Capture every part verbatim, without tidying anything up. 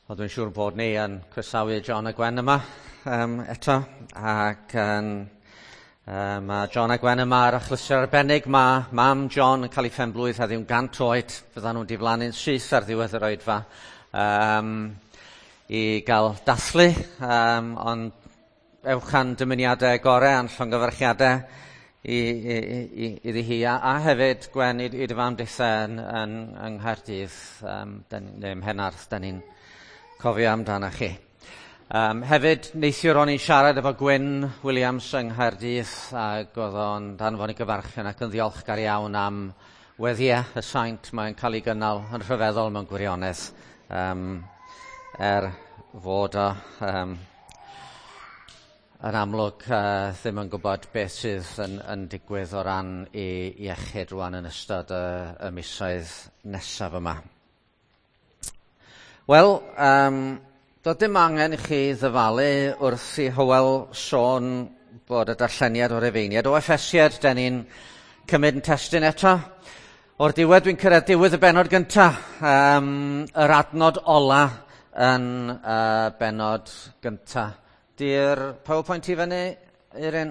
Wel, dwi'n siŵr bod ni yn croesawu John a Gwen yma um, eto, ac um, um, mae John a Gwen yma ar achlysur arbennig. Mae mam John yn cael ei phenblwydd heddiw'n gant oed, fyddan nhw'n diflannu'n syth ar ddiwedd yr oedfa um, i gael dathlu, um, ond ewch a'n dymuniadau gorau a'n llongyfarchiadau i, i, i, iddi hi, a, a hefyd Gwen i, i dy fam ditha yn, yn, yng Nghaerdydd, um, den, neu ym Mhenarth, da ni'n cofio amdano chi. Um, hefyd, neithiwr o'n i'n siarad efo Gwyn Williams yng Nghaerdydd, ac oedd o'n danfon i gyfarchion ac yn ddiolchgar iawn am weddiau y saint mae'n cael ei gynnal yn rhyfeddol mewn gwirionedd, um, er fod o um, yn amlwg uh, ddim yn gwybod beth sydd yn, yn digwydd o ran ei iechyd rwan yn ystod y, y misoedd nesaf yma. Wel, um, doedd dim angen i chi ddyfalu wrth i Hywel sôn bod y darlleniad o'r Efeiniad. O Effesiad, den ni'n cymryd yn testun eto. O'r diwedd, dwi'n cyrraedd diwedd y bennod gyntaf, um, yr adnod ola yn uh, bennod gyntaf. Di'r PowerPoint i fyny, Eirin?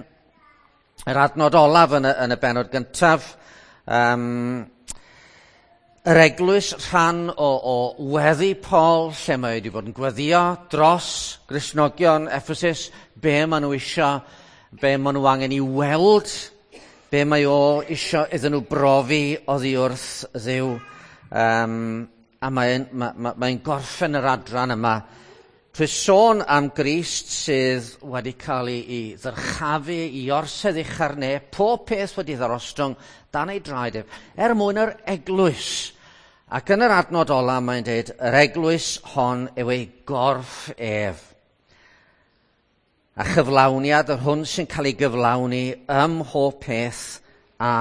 Yr adnod olaf yn y, yn y bennod gyntaf. Um, Yr eglwys rhan o, o weddi Paul, lle mae wedi bod yn gweddio dros Gristnogion Ephesus, be maen nhw isio, be maen nhw angen i weld, be mae o isio iddyn nhw brofi oddi wrth Dduw. Um, a mae'n ma, ma, mae gorffen yr adran yma trwy sôn am Grist sydd wedi cael ei, ei ddyrchafu i orsedd ucha'r ne, pob peth wedi ddarostwng dan ei draed ef, er mwyn yr eglwys. Ac yn yr adnod ola mae'n dweud, yr eglwys hon yw ei gorff ef. A chyflawniad yr hwn sy'n cael ei gyflawni ym mhob peth a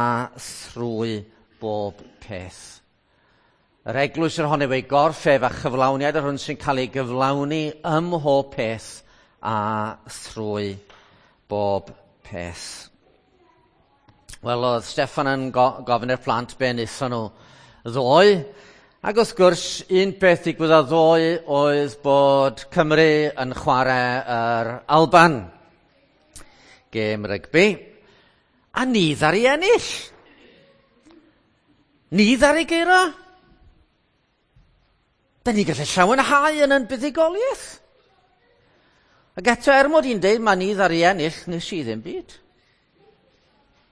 thrwy bob peth. Yr eglwys yr hon yw ei gorff ef a chyflawniad yr hwn sy'n cael ei gyflawni ym mhob peth a thrwy bob peth. Wel, oedd Steffan yn go- gofyn i'r plant be wnaethon nhw ddoe, ac wrth gwrs, un peth ddigwyddodd ddoe oedd bod Cymru yn chwarae yr Alban, gêm rygbi, a ni ddaru ennill. Ni ddaru guro. Da ni gallu llawenhau yn yn buddugoliaeth. Ac eto, er mod i'n deud, mae ni ddaru ennill, nes i ddim byd.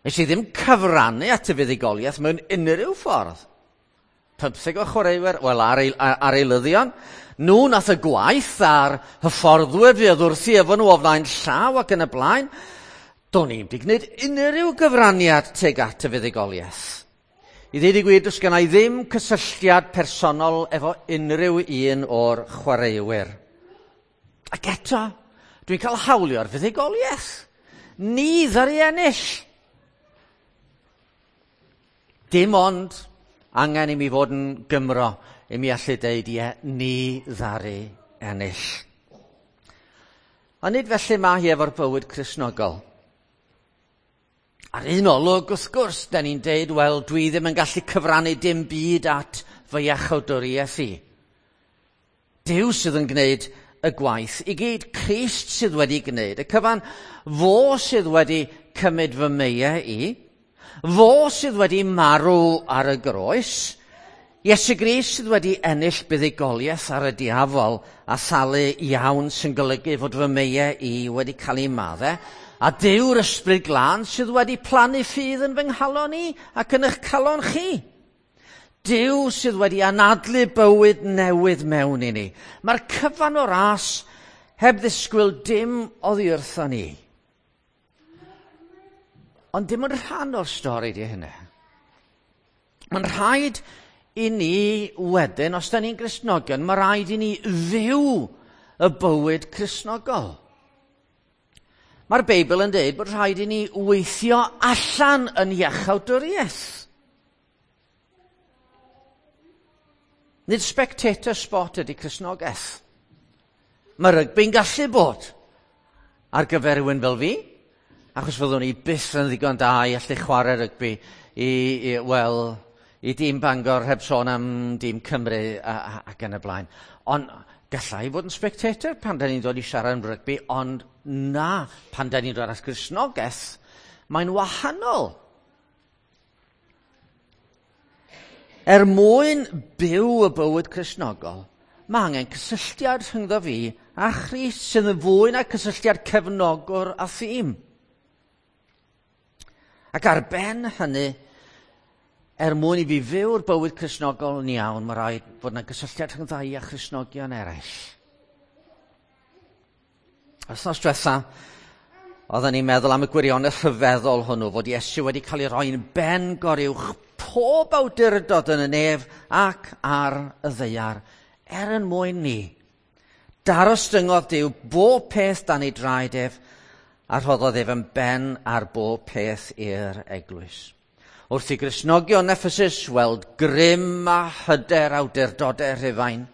Nes i ddim cyfrannu at y fuddugoliaeth mewn unrhyw ffordd. Pymtheg o chwaraewyr, wel, ar, ei, ar eilyddion, nhw nath y gwaith a'r hyfforddwyr fuodd wrthi efo nhw o flaen llaw ac yn y blaen. Do'n i'm 'di gwneud unrhyw gyfraniad tuag at y fuddugoliaeth. I ddweud y gwir, does genna i ddim cysylltiad personol efo unrhyw un o'r chwaraewyr. Ac eto, dwi'n cael hawlio'r fuddugoliaeth. Ni ddaru ennill. Dim ond angen i mi fod yn Gymro i mi allu deud, ie, ni ddaru ennill. Ond nid felly mae hi efo'r bywyd Cristnogol. Ar un olwg, wrth gwrs, da ni'n deud, wel, dwi ddim yn gallu cyfrannu dim byd at fy iachawdwriaeth i. Duw sydd yn gwneud y gwaith i gyd, Crist sydd wedi gwneud y cyfan, fo sydd wedi cymryd fy meiau i, fo sydd wedi marw ar y groes, Iesu Grist sydd wedi ennill buddugoliaeth ar y diafol a thalu iawn sy'n golygu fod fy meiau i wedi cael ei maddau, a Duw'r Ysbryd Glân sydd wedi plannu ffydd yn fy nghalon i ac yn eich calon chi. Duw sydd wedi anadlu bywyd newydd mewn i ni. Mae'r cyfan o ras heb ddisgwyl dim oddi wrthon ni. Ond dim yn rhan o'r stori di hynny. Mae'n rhaid i ni wedyn, os da ni'n Gristnogion, mae rhaid i ni fyw y bywyd Cristnogol. Mae'r Beibl yn dweud bod rhaid i ni weithio allan yn iachawdwriaeth. Nid spectator sport ydy Cristnogaeth. Mae rygbi'n gallu bod ar gyfer rhywun fel fi, achos fyddwn ni byth yn ddigon da i allu chwarae rygbi i, i, wel, i dîm Bangor heb sôn am dîm Cymru a, a, ac yn y blaen. Ond Gallai fod yn spectator pan da ni'n dod i siarad am rygbi, ond na, pan da ni'n dod at Gristnogaeth, mae'n wahanol. Er mwyn byw y bywyd Cristnogol, mae angen cysylltiad rhyngddo fi a Christ sydd yn fwy na cysylltiad cefnogwr a thîm. Ac ar ben hynny, er mwyn i fi fyw'r bywyd Cristnogol yn iawn, mae rhaid fod yna gysylltiad rhwng ddau a Christnogion eraill. Wythnos diwetha, oedden ni'n meddwl am y gwirionedd rhyfeddol hwnnw, fod Iesu wedi cael ei roi'n ben goruwch pob awdurdod yn y nef ac ar y ddaear, er yn mwyn ni. Darostyngodd Duw bob peth dan ei draed ef, a rhoddodd ef yn ben ar bob peth i'r eglwys. Wrth i Gristnogion Ephesus weld grym a hyder awdurdodau Rhufain,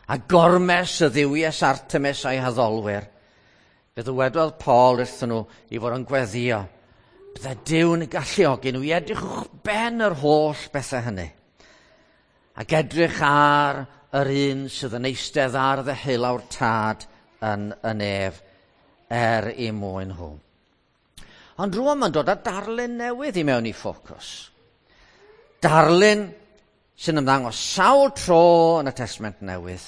a gormes y dduwies Artemis a'i haddolwyr, fe ddywedodd Paul wrthyn nhw i fod yn gweddio. Bydde Duw'n galluogi nhw i edrych uwchben yr holl bethau hynny, ac edrych ar yr un sydd yn eistedd ar ddeheulaw'r Tad yn y nef er i mwyn nhw. Ond rŵan mae'n dod â darlun newydd i mewn i ffocws. Darlun sy'n ymddangos sawl tro yn y Testament Newydd.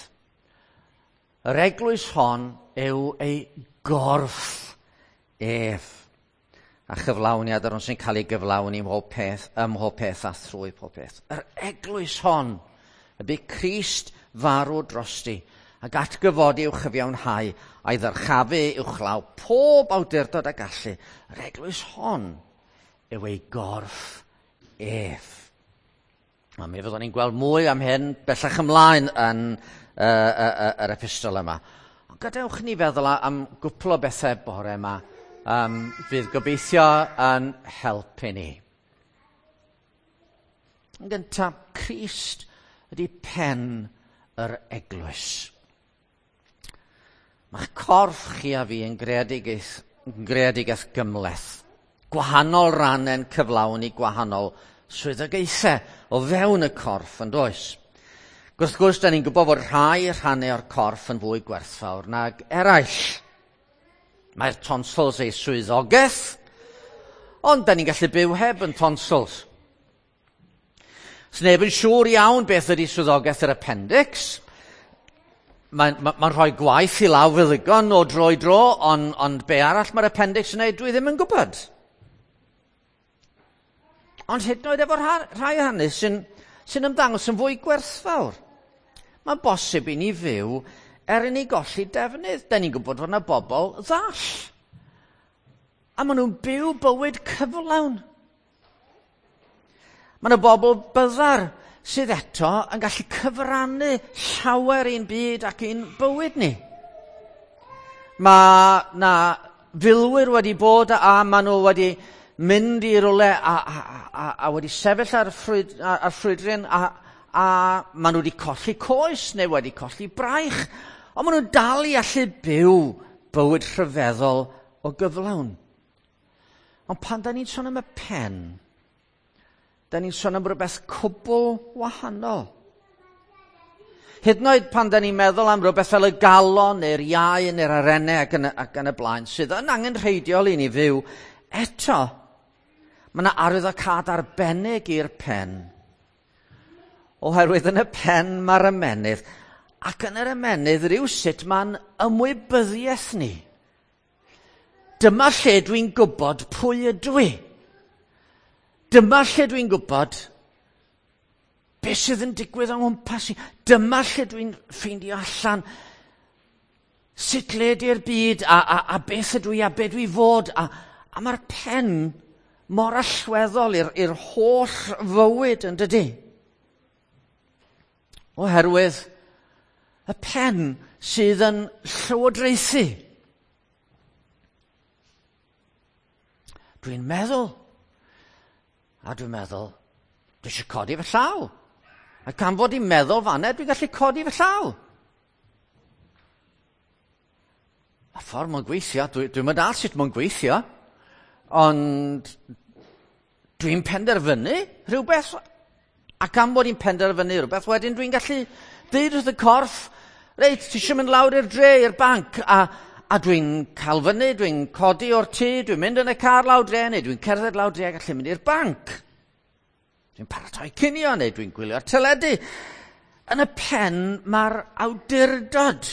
Yr eglwys hon yw ei gorff ef, a chyflawniad yr hwn sy'n cael ei gyflawni ym mhob peth, ym mhob peth a thrwy pob peth. Yr eglwys hon, y bu Crist farw drosti, ac atgyfodi i'w chyfiawnhau, a'i ddyrchafu uwchlaw pob awdurdod a gallu. Yr eglwys hon yw ei gorff ef. A mi fyddwn ni'n gweld mwy am hyn bellach ymlaen yn uh, uh, uh, yr epistol yma. Ond gadewch ni feddwl am gwpl o bethau bore yma, um, fydd gobeithio yn helpu ni. Yn gyntaf, Crist ydy pen yr eglwys. Mae'ch corff chi a fi yn greadigaeth, yn greadigaeth gymhleth. Gwahanol rannau'n cyflawni gwahanol swyddogaethau o fewn y corff, yn does? Wrth gwrs, da ni'n gwybod fod rhai rhannau o'r corff yn fwy gwerthfawr nag eraill. Mae'r tonsils ei swyddogaeth, ond da ni'n gallu byw heb yn tonsils. Sneb yn siŵr iawn beth ydy swyddogaeth yr appendix. Mae'n ma, ma rhoi gwaith i law feddygon o dro i dro, ond, ond be arall mae'r appendix yn neud, dwi ddim yn gwybod. Ond hyd yn oed efo rhai hynny sy'n, sy'n ymddangos yn fwy gwerthfawr. Mae'n bosib i ni fyw er i ni golli defnydd. Da ni'n gwybod fod yna bobl ddall. A maen nhw'n byw bywyd cyflawn. Mae yna bobl byddar sydd eto yn gallu cyfrannu llawer i'n byd ac i'n bywyd ni. Mae na filwyr wedi bod a, a maen nhw wedi mynd i rywle a, a, a, a wedi sefyll ar, ffrwyd, ar ffrwydryn a, a maen nhw wedi colli coes neu wedi colli braich, ond maen nhw'n dal i allu byw bywyd rhyfeddol o gyflawn. Ond pan da ni'n sôn am y pen, da ni'n sôn am rhywbeth cwbl wahanol. Hyd yn oed pan da ni'n meddwl am rhywbeth fel y galon neu'r iau neu'r arennau ac yn, ac yn y blaen, sydd yn angenrheidiol i ni fyw, eto, mae yna arwyddocâd arbennig i'r pen. Oherwydd yn y pen mae'r ymennydd, ac yn yr ymennydd rhywsut mae'n ymwybyddiaeth ni. Dyma lle dwi'n gwybod pwy ydw i. Dyma lle dwi'n gwybod beth sydd yn digwydd o'n nghwmpas i. Dyma lle dwi'n ffeindio allan sut le di'r byd a, a, a beth ydw i a beth dwi fod. A, a mae'r pen mor allweddol i'r, i'r holl fywyd, yn dydy? Oherwydd y pen sydd yn llywodraethu. Dwi'n meddwl, a dwi'n meddwl, dwi eisiau codi fy llaw. A gan fod i'n meddwl fanna, dwi'n gallu codi fy llaw. A ffordd mae'n gweithio, dwi, dwi'n mynd all sut mae'n gweithio, ond dwi'n penderfynu rhywbeth, a gan bod i'n penderfynu rhywbeth, wedyn dwi'n gallu deud wrth y corff, Reit, ti eisiau mynd lawr i'r dre, i'r banc, a, a dwi'n cael fyny, dwi'n codi o'r tŷ, dwi'n mynd yn y car lawr dre, neu dwi'n cerdded lawr dre a gallu mynd i'r banc. Dwi'n paratoi cinio, neu dwi'n gwylio'r teledu. Yn y pen, mae'r awdurdod.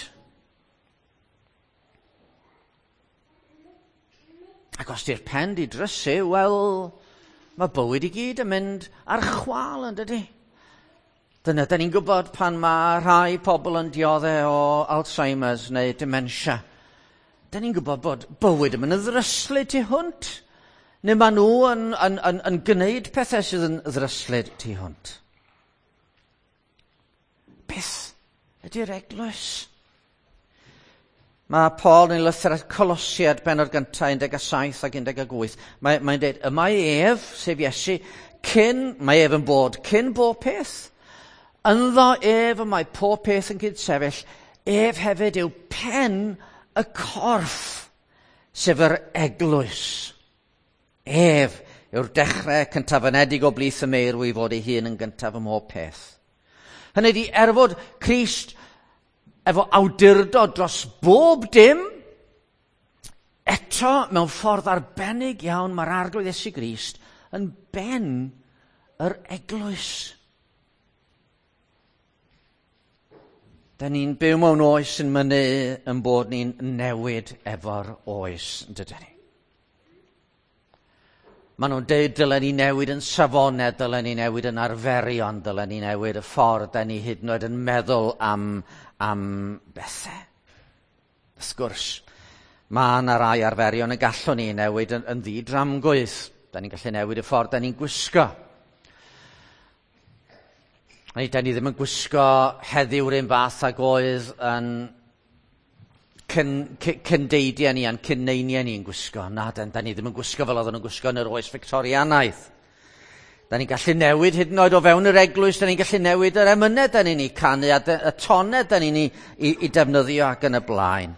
Ac os di'r pen di drysu, wel, mae bywyd i gyd yn mynd ar chwâl, yn dydi? Dyna, da ni'n gwybod pan mae rhai pobl yn dioddef o Alzheimer's neu dementia. Da ni'n gwybod bod bywyd yn mynd yn ddryslyd tu hwnt. Neu maen nhw yn, yn, yn, yn gwneud pethau sydd yn ddryslyd tu hwnt. Beth ydy'r eglwys? Mae Paul yn ei lythyr at Colosiaid bennod gyntaf un deg saith ac un deg wyth. Mae, mae'n dweud, y mae ef, sef Iesu, cyn, mae ef yn bod, cyn bob peth. Ynddo ef y mae pob peth yn cydsefyll, ef hefyd yw pen y corff, sef yr eglwys. Ef yw'r dechrau cyntaf-anedig o blith y meirw i fod ei hun yn gyntaf ym mhob peth. Hynny ydi, er fod Crist efo awdurdod dros bob dim, eto mewn ffordd arbennig iawn mae'r Arglwydd Iesu Grist yn ben yr eglwys. Da ni'n byw mewn oes yn mynnu yn bod ni'n newid efo'r oes, yn dydyn ni? Maen nhw'n deud dylen ni newid yn safonau, dylen ni newid yn arferion, dylen ni newid y ffordd da ni hyd yn oed yn meddwl am, am bethau. Wrth gwrs, mae yna rai arferion y gallwn ni newid yn, yn ddi-dramgwydd. Da ni'n gallu newid y ffordd da ni'n gwisgo. Neu, da ni ddim yn gwisgo heddiw'r un fath ag oedd yn cyn, cyn, cyndeidiau ni a'n cynneiniau ni'n gwisgo. Na, da, da ni ddim yn gwisgo fel oedden nhw'n gwisgo yn yr oes Fictorianaidd. Da ni'n gallu newid hyd yn oed o fewn yr eglwys, da ni'n gallu newid yr emynau da ni'n ei canu a de, y tonau da ni'n ei, ei, ei defnyddio ac yn y blaen.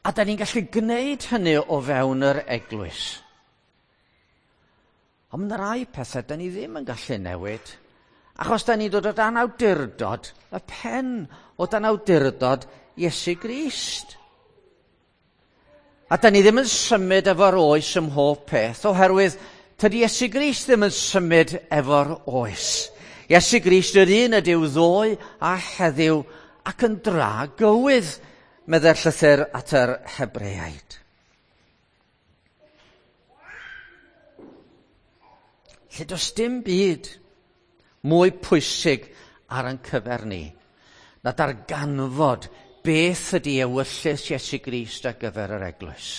A da ni'n gallu gwneud hynny o fewn yr eglwys. Ond mae yna rai pethau da ni ddim yn gallu newid. Achos da ni'n dod o dan awdurdod, y pen o dan awdurdod Iesu Grist. A da ni ddim yn symud efo'r oes ym mhob peth, oherwydd tydi Iesu Grist ddim yn symud efo'r oes. Iesu Grist yr un ydyw ddoe a heddiw ac yn dra gywydd, meddai'r llythyr at yr Hebreaid. Lle does dim byd mwy pwysig ar ein cyfer ni na darganfod beth ydy ewyllys Iesu Grist ar gyfer yr eglwys.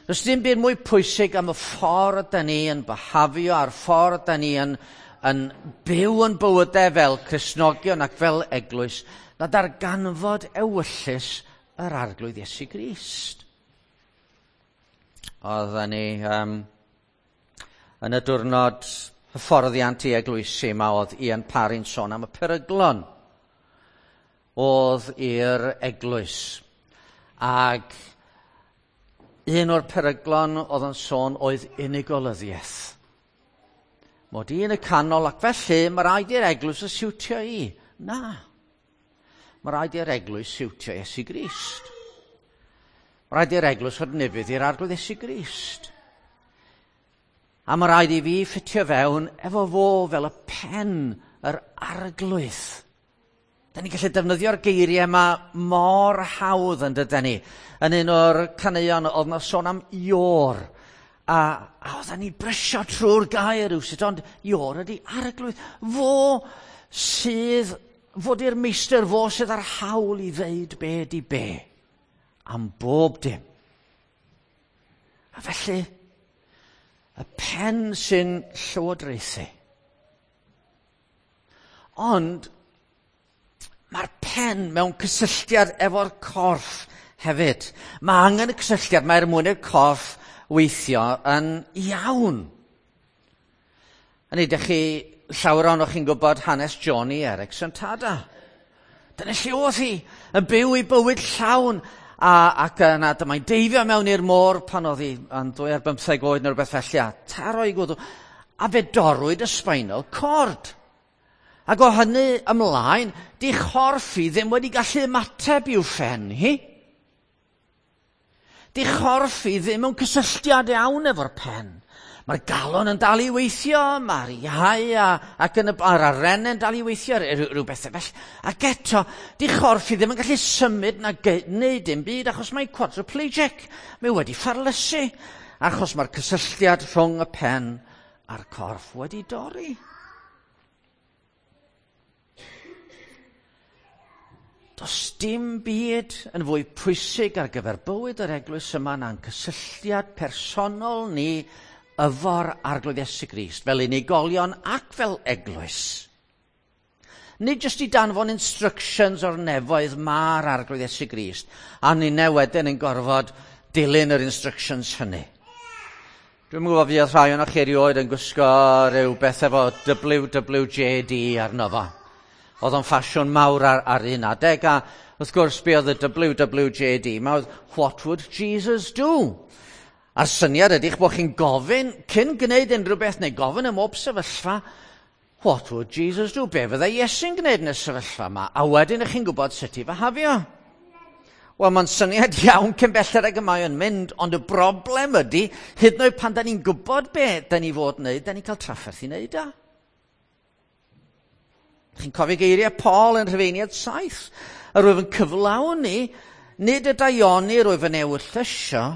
Does dim byd mwy pwysig am y ffordd da ni yn byhafio a'r ffordd da ni yn, yn byw yn bywydau fel Cristnogion ac fel eglwys na darganfod ewyllys yr Arglwydd Iesu Grist. Oedden ni um, yn y diwrnod hyfforddiant i eglwysi yma oedd Ian Parry'n sôn am y peryglon oedd i'r eglwys. Ac un o'r peryglon oedd yn sôn oedd unigolyddiaeth. Mod i yn y canol ac felly mae rhaid i'r eglwys y siwtio i. Na. Mae rhaid i'r eglwys siwtio Iesu Grist. Mae rhaid i'r eglwys fod ufudd i'r Arglwydd Iesu Grist. A mae rhaid i fi ffitio fewn efo fo fel y pen yr Arglwydd. Da ni'n gallu defnyddio'r geiriau yma mor hawdd yn dydan ni. Yn un o'r caneuon oedd na sôn am Ior. A, a oedden ni brysio trwy'r gair rywsut, ond Ior ydy Arglwydd. Fo sydd, fod i'r meistr, fo sydd ar hawl i ddeud be di be. Am bob dim. A felly, y pen sy'n llywodraethu. Ond mae'r pen mewn cysylltiad efo'r corff hefyd. Mae angen y cysylltiad, mae'r mwyn i'r corff weithio yn iawn. Hynny, dych chi, llawer ohonoch chi'n gwybod hanes Joni Eareckson Tada. Dyna lle oedd hi, yn byw ei bywyd llawn, a, ac yna dyma'n deifio mewn i'r môr pan oedd hi yn dwy ar bymtheg oed neu rhywbeth felly, a taro ei gwddw, a fe dorrwyd y spinal cord. Ac o hynny ymlaen, di chorff hi ddim wedi gallu ymateb i'w phen hi. Di chorff hi ddim mewn cysylltiad iawn efo'r pen. Mae'r galon yn dal i weithio, mae'r iau a, ac yn y, a'r arennau'n dal i weithio, rhyw bethau felly. Ac eto, di chorff hi ddim yn gallu symud na gwneud dim byd achos mae quadriplegic. Mae wedi ffarlysu achos mae'r cysylltiad rhwng y pen a'r corff wedi dorri. Does dim byd yn fwy pwysig ar gyfer bywyd yr eglwys yma na'n cysylltiad personol ni efo'r Arglwydd Iesu Grist, fel unigolion ac fel eglwys. Nid jyst i danfon instructions o'r nefoedd ma'r Arglwydd Iesu Grist, a ninne wedyn yn gorfod dilyn yr instructions hynny. Dwi'm yn gwybod fydd rhai ohonoch chi erioed yn gwisgo rhyw beth efo W W J D arno fo. Oedd o'n ffasiwn mawr ar, ar un adeg, a wrth gwrs be oedd y W W J D, ma oedd What would Jesus do? A'r syniad ydy'ch bod chi'n gofyn, cyn gwneud unrhyw beth neu gofyn ym mhob sefyllfa, what would Jesus do? Be fyddai Iesu'n gwneud yn y sefyllfa yma? A wedyn ych chi'n gwybod sut i fahafio. Wel, mae'n syniad iawn cyn belled ag y mae o'n mynd, ond y broblem ydy, hyd yn oed pan da ni'n gwybod be da ni fod wneud, da ni'n cael trafferth i wneud o. Chi'n cofio geiriau Paul yn Rhufeiniaid saith? Yr wyf yn cyflawni, nid y daioni yr wyf yn ewyllysio,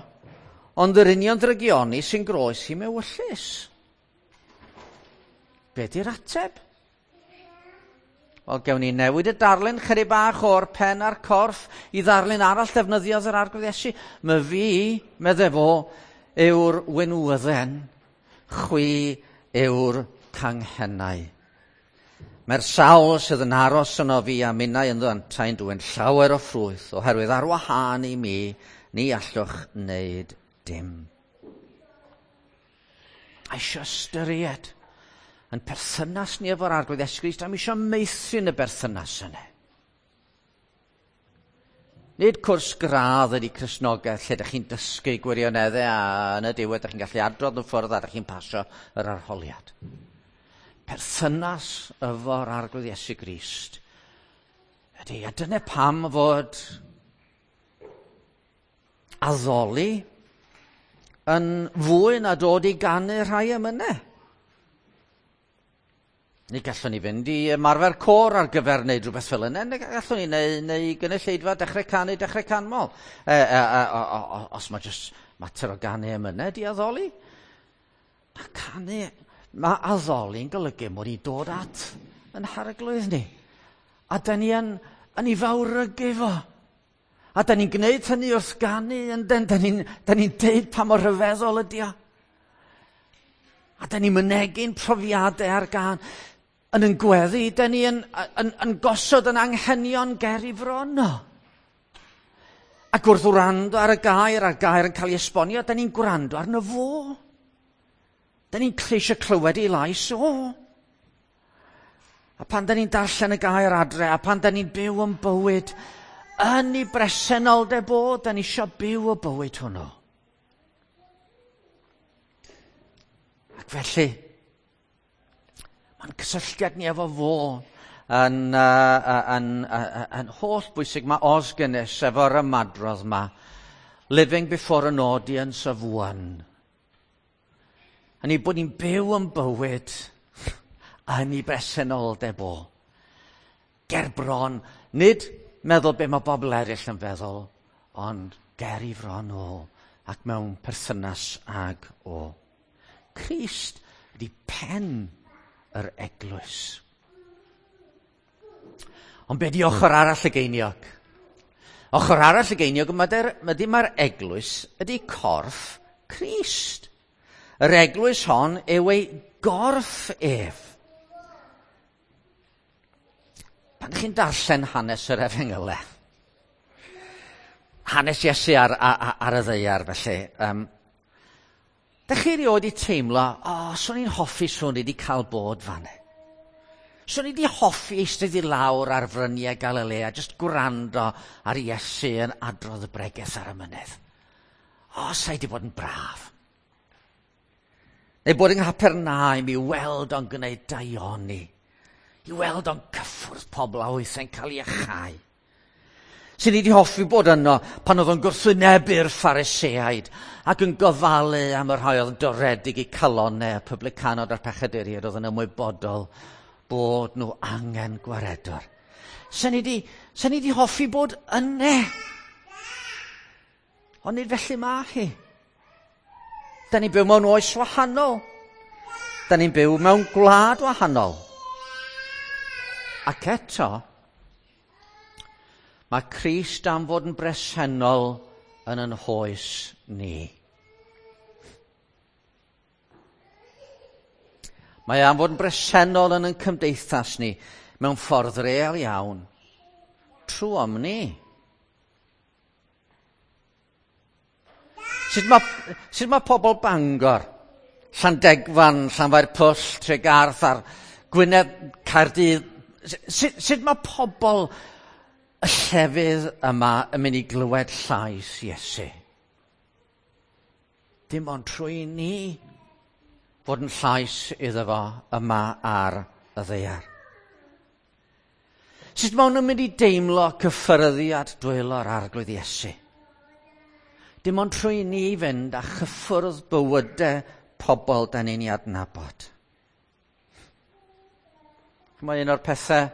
ond yr union drygioni sy'n groes i mewyllys. Be di'r ateb? Wel, gewn ni newid y darlun chydig bach o'r pen a'r corff i ddarlun arall defnyddiodd yr Arglwydd Iesu. My fi, medde fo, yw'r winwydden, chwi yw'r canghennau. Mae'r sawl sydd yn aros yno fi a minnau ynddo yntau'n dwyn llawer o ffrwyth, oherwydd ar wahân i mi, ni allwch wneud dim. A eisiau ystyried yn perthynas ni efo'r Arglwydd Iesu Grist, a mi eisiau meithrin y berthynas yna. Nid cwrs gradd ydy Cristnogaeth lle ydych chi'n dysgu gwirioneddau a yn y diwedd ydych chi'n gallu adrodd yn ffwrdd a ydych chi'n pasio yr arholiad. Perthynas efo'r Arglwydd Iesu Grist ydy, a dyna pam fod addoli yn fwy na dod i ganu rhai emynau. Neu gallwn ni fynd i ymarfer côr ar gyfer wneud rhywbeth fel yna, neu gallwn ni neu, neu gynulleidfa dechrau canu, dechrau canmol. E, e, e, o, o, os mae jyst mater o ganu emynau di addoli. Na canu, mae addoli'n golygu mod i dod at yn harglwydd ni. A da ni yn, yn ei fawrygu fo. A da ni'n gwneud hynny wrth ganu, ynden, da ni'n ni deud pa mor rhyfeddol ydi o. A da ni'n mynegi'n profiadau ar gân. Yn yn gweddi, da ni yn, yn, yn gosod yn anghenion ger i fron o. Ac wrth wrando ar y gair, a'r gair yn cael ei esbonio, da ni'n gwrando arno fo. Da ni'n eisiau clywed ei lais o. A pan da ni'n darllen y gair adre, a pan da ni'n byw yn bywyd, yn ei bresenoldeb o, da ni eisiau byw y bywyd hwnnw. Ac felly, mae'n cysylltiad ni efo fo yn, uh, yn, uh, yn holl bwysig. Mae Os Guinness efo'r ymadrodd yma, living before an audience of one. A ni bod ni'n byw yn bywyd yn ei bresenoldeb o. Ger bron, nid meddwl be mae bobl eraill yn feddwl, ond ger i fron o ac mewn perthynas ag o. Crist ydy pen yr eglwys. Ond be di ochr arall y geiniog? Ochr arall y geiniog ydy mae'r eglwys ydy corff Crist. Yr eglwys hon yw ei gorff ef. Pan chi'n darllen hanes yr Efengylau, hanes Iesu ar, ar, ar y ddaear felly, um, dych chi erioed i teimlo, o, oh, swn i'n hoffi swn i wedi cael bod fan. Swn i wedi hoffi eistedd i lawr ar fryniau Galilea, jyst gwrando ar Iesu yn adrodd y bregeth ar y mynydd. O, oh, sa'i wedi bod yn braf. Neu bod yng Nghapernaum i weld o'n gwneud daioni. I weld o'n cyffwrdd pobl a wythau'n cael ei achau. Sen ni wedi hoffi bod yno pan oedd o'n gwrthwynebu'r Phariseaid ac yn gofalu am y rhai oedd yn doredig i calonnau, y publicanod a'r pechaduriaid oedd yn ymwybodol bod nhw angen gwaredwr. Sen ni wedi, sen ni wedi hoffi bod yne. Ond nid felly mae hi. Da ni'n byw mewn oes wahanol. Da ni'n byw mewn gwlad wahanol. Ac eto, mae Crist am fod yn bresennol yn yn hoes ni. Mae am fod yn bresennol yn yn cymdeithas ni mewn ffordd real iawn, trwom ni. Sut mae, sut mae pobl Bangor, Llandegfan, Llanfairpwll, Tregarth a'r Gwynedd, Caerdydd, sut, sut mae pobl y llefydd yma yn mynd i glywed llais Iesu? Dim ond trwy ni fod yn llais iddo fo yma ar y ddaear. Sut maen nhw'n mynd i deimlo cyffyrddiad dwylo'r Arglwydd Iesu? Dim ond trwy ni fynd a chyffwrdd bywydau pobl da ni'n ei adnabod. Mae un o'r pethau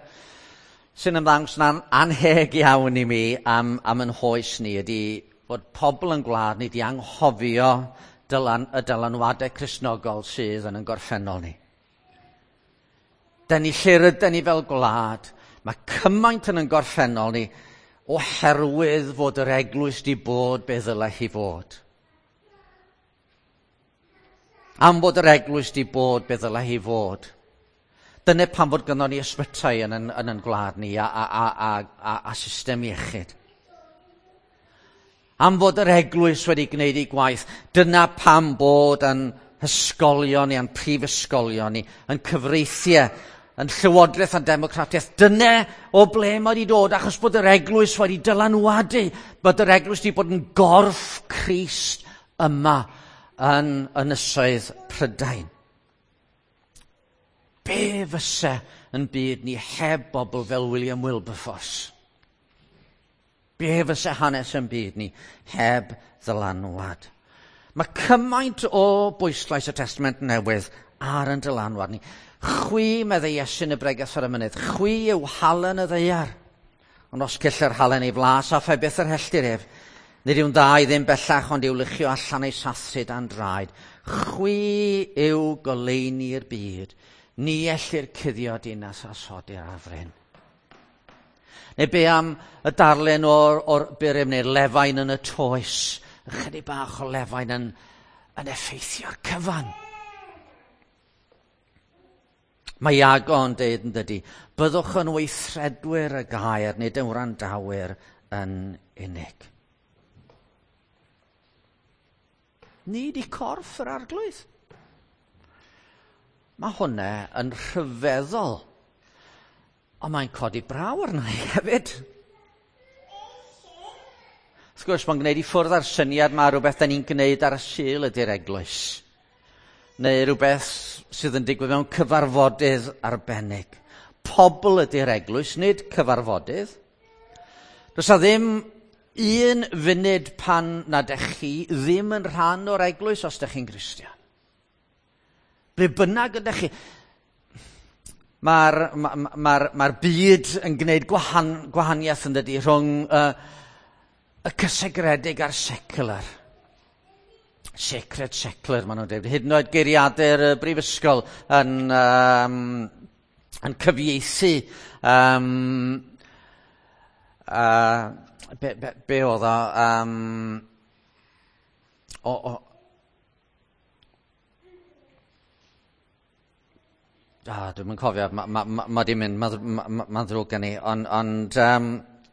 sy'n ymddangos yn anheg iawn i mi am, am yn hoes ni ydy fod pobl yn gwlad ni wedi anghofio dylan, y dylanwadau Cristnogol sydd yn yn gorffennol ni. Da ni lle rydyn ni fel gwlad, mae cymaint yn yn gorffennol ni oherwydd fod yr eglwys di bod be ddylai hi fod. Am fod yr eglwys di bod be ddylai hi fod. Dyna pam fod gynnon ni ysbytai yn yn, yn, yn gwlad ni a, a, a, a, a, a system iechyd. Am fod yr eglwys wedi gwneud ei gwaith, dyna pam bod yn hysgolion ni, yn prifysgolion ni, yn cyfreithiau, yn llywodraeth a'n democratiaeth. Dyna o ble mae wedi dod, achos bod yr eglwys wedi dylanwadu, bod yr eglwys wedi bod yn gorff Crist yma yn ynysoedd Prydain. Be fysa yn byd ni heb bobl fel William Wilberforce? Be fysa hanes yn byd ni heb ddylanwad? Mae cymaint o bwyslais y Testament Newydd ar yn dylanwad ni. Chwi, meddai Iesu yn y bregeth ar y mynydd, chwi yw halen y ddaear. Ond os cyll yr halen ei flas a phe byth yr helltir ef, nid yw'n dda i ddim bellach ond i'w luchio allan ei sathru dan draed. Chwi yw goleuni'r byd, ni ellir cuddio dinas a sodi'r ar fryn. Neu be am y darlun o'r, o'r burum neu'r lefain yn y toes, ychydig bach o lefain yn, yn effeithio'r cyfan. Mae Iago yn deud yn dydy, byddwch yn weithredwyr y gair, nid yn wrandawyr yn unig. Ni di corff yr Arglwydd. Mae hwnna yn rhyfeddol, ond mae'n codi braw arna i hefyd. Wrth gwrs, mae'n gwneud i ffwrdd â'r syniad mae rhywbeth da ni'n gwneud ar y Sul ydy'r eglwys, neu rhywbeth sydd yn digwydd mewn cyfarfodydd arbennig. Pobl ydy'r eglwys, nid cyfarfodydd. Does 'na ddim un funud pan nad ydych chi ddim yn rhan o'r eglwys os ydych chi'n Gristion. Ble bynnag ydych chi. Mae'r ma, ma, ma byd yn gwneud gwahan, gwahaniaeth yn dydy rhwng uh, y cysegredig a'r secular. Sacred secular, maen nhw'n dweud. Hyd yn oed geiriadur y brifysgol yn, um, yn cyfieithu um, uh, be, be, be oedd o, um, o, o ah, dwi'm yn cofio, mae ma, ma, ma di mynd, mae'n ma, ma, ma ddrwg gen i, ond, ond um,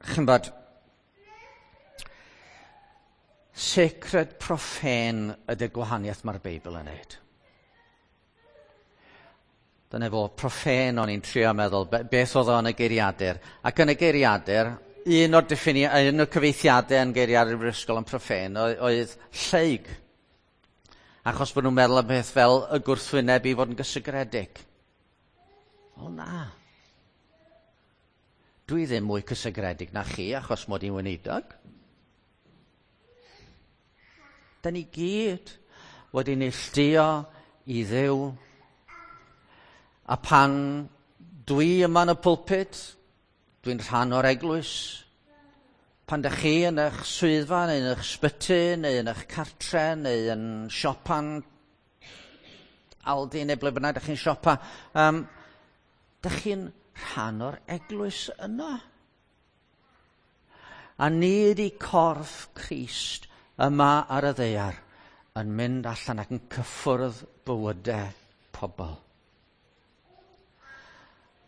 chi'n bod, sacred profane ydy'r gwahaniaeth mae'r Beibl yn neud. Dyna fo, profane o'n i'n trio meddwl, beth oedd o yn y geiriadur. Ac yn y geiriadur, un o'r, diffini, un o'r cyfeithiadau yn geiriadur brifysgol yn profane oedd, oedd lleug. Achos bod nhw'n meddwl am beth fel y gwrthwyneb i fod yn gysegredig. O na. Dwi ddim mwy cysegredig na chi achos mod i'n weinidog. Da ni gyd wedi neilltuo i Dduw. A pan dwi yma yn y pulpit, dwi'n rhan o'r eglwys. Pan dych chi yn eich swyddfa, neu yn eich sbyty, neu yn eich cartre, neu yn siopan Aldi, neu ble bynnag dych chi'n siopa, um, dych chi'n rhan o'r eglwys yna. A ni ydi corff Crist yma ar y ddaear yn mynd allan ac yn cyffwrdd bywydau pobl.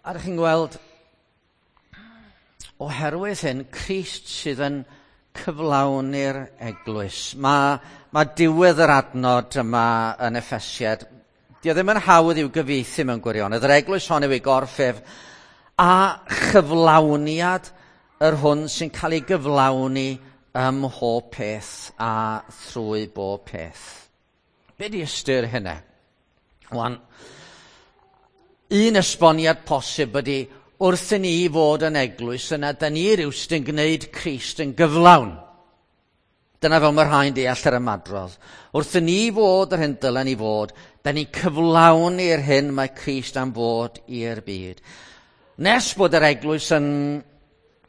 A ydych chi'n gweld, oherwydd hyn, Crist sydd yn cyflawni'r eglwys. Mae, mae diwedd yr adnod yma yn Effesiad. Dio ddim yn hawdd i'w gyfieithu mewn gwirionedd. Yr eglwys hon yw ei gorff ef a chyflawniad yr hwn sy'n cael ei gyflawni ym mhob peth a thrwy bob peth. Be di ystyr hynna? Wan, un esboniad posib ydy wrth i ni fod yn eglwys yna, da ni rywsut yn gwneud Crist yn gyflawn. Dyna fel mae rhai'n deall yr ymadrodd. Wrth i ni fod yr hyn dylen ni fod, da ni'n cyflawni'r hyn mae Crist am fod i'r byd. Nes bod yr eglwys yn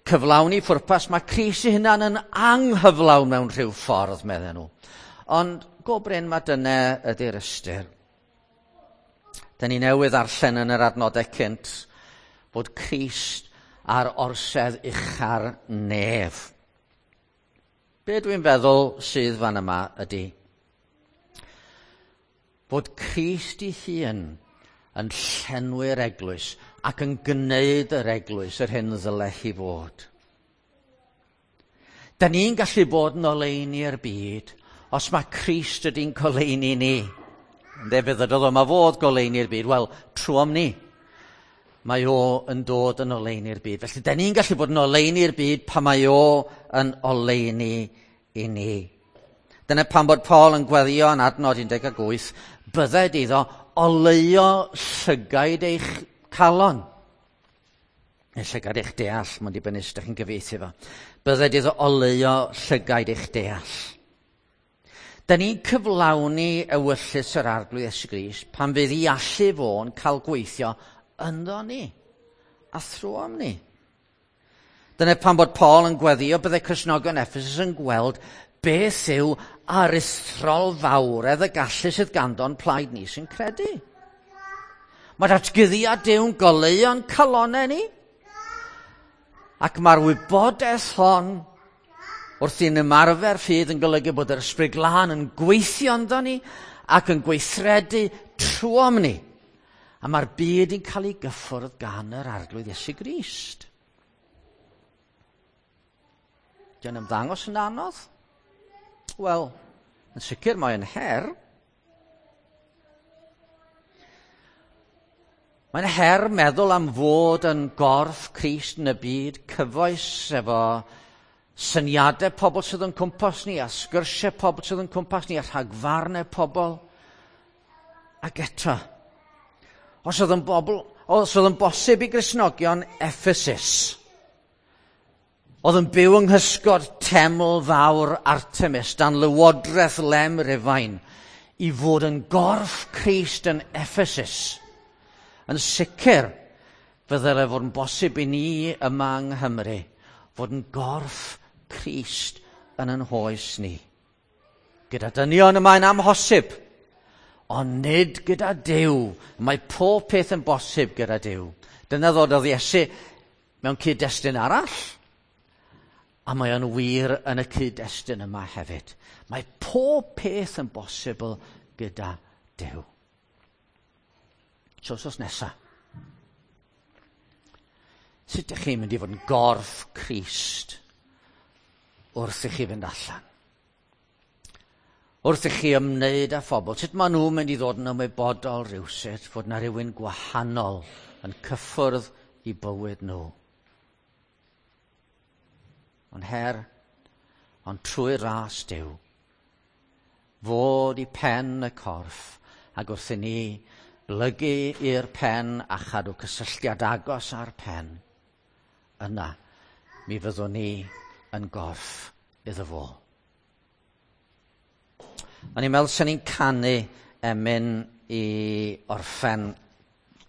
cyflawni ffwrpas, mae Crist ei hunan yn anghyflawn mewn rhyw ffordd, medden nhw. Ond go brin mae dyna ydy'r ystyr. Da ni newydd ddarllen yn yr adnodau cynt bod Crist ar orsedd ucha'r nef. Be dwi'n feddwl sydd fan yma ydy bod Crist ei hun yn llenwi'r eglwys ac yn gwneud yr eglwys yr hyn ddyle hi fod. Da ni'n gallu bod yn oleuni'r byd os mae Crist ydy'n goleuni ni. Ynde, fe ddydodd o, mae fod goleuni'r byd. Wel, trwom ni. Mae o yn dod yn oleuni'r byd. Felly, da ni'n gallu bod yn oleuni'r byd pan mae o yn oleuni i ni. Dyna pam bod Paul yn gweddio yn adnod un deg wyth, bydded iddo oleuo llygaid eich calon. Neu llygaid eich deall, mae'n dibynnu sut ydych chi'n gyfieithu fo. Bydded iddo oleuo llygaid eich deall. Da ni'n cyflawni ewyllys yr Arglwydd Iesu Grist pan fydd i allu fo'n cael gweithio ynddo ni a thrwom ni. Dyna pam bod Paul yn gweddio byddai Cristnogion Ephesus yn gweld beth yw aruthrol fawredd y gallu sydd ganddo'n plaid ni sy'n credu. Mae datguddiad Duw'n goleuo'n calonnau ni. Ac mae'r wybodaeth hon wrth i'n ymarfer ffydd yn golygu bod yr Ysbryd Glân yn gweithio ynddo ni ac yn gweithredu trwom ni. A mae'r byd yn cael ei gyffwrdd gan yr Arglwydd Iesu Grist. Dio'n ymddangos yn anodd? Wel, yn sicr mae'n her. Mae'n her meddwl am fod yn gorff Crist yn y byd cyfoes efo syniadau pobl sydd yn cwmpas ni, a sgyrsiau pobl sydd yn cwmpas ni, a rhagfarnau pobl. Ac eto, os oedd yn, bobl, os oedd yn bosib i Gristnogion Ephesus, oedd yn byw yng nghysgod teml fawr Artemis dan lywodraeth lem Rufain, i fod yn gorff Crist yn Ephesus, yn sicr fe ddylai fod yn bosib i ni yma yng Nghymru fod yn gorff Crist yn yn hoes ni. Gyda dynion y mae'n amhosib, ond nid gyda Duw. Mae pob peth yn bosib gyda Duw. Dyna ddododd Iesu mewn cyd-destun arall, a mae o'n wir yn y cyd-destun yma hefyd. Mae pob peth yn bosibl gyda Duw. So, wsos nesa, sut ydych chi'n mynd i fod yn gorff Crist wrth i chi fynd allan? Wrth i chi ymwneud â phobl, sut maen nhw'n mynd i ddod yn ymwybodol rhywsut fod na rhywun gwahanol yn cyffwrdd i bywyd nhw? Ond her, ond trwy ras Duw, fod i pen y corff, ac wrth i ni blygu i'r pen a chadw cysylltiad agos â'r pen, Yna, mi fyddwn ni yn gorff iddo fo. O'n i'n meddwl sy'n ni'n canu emyn i orffen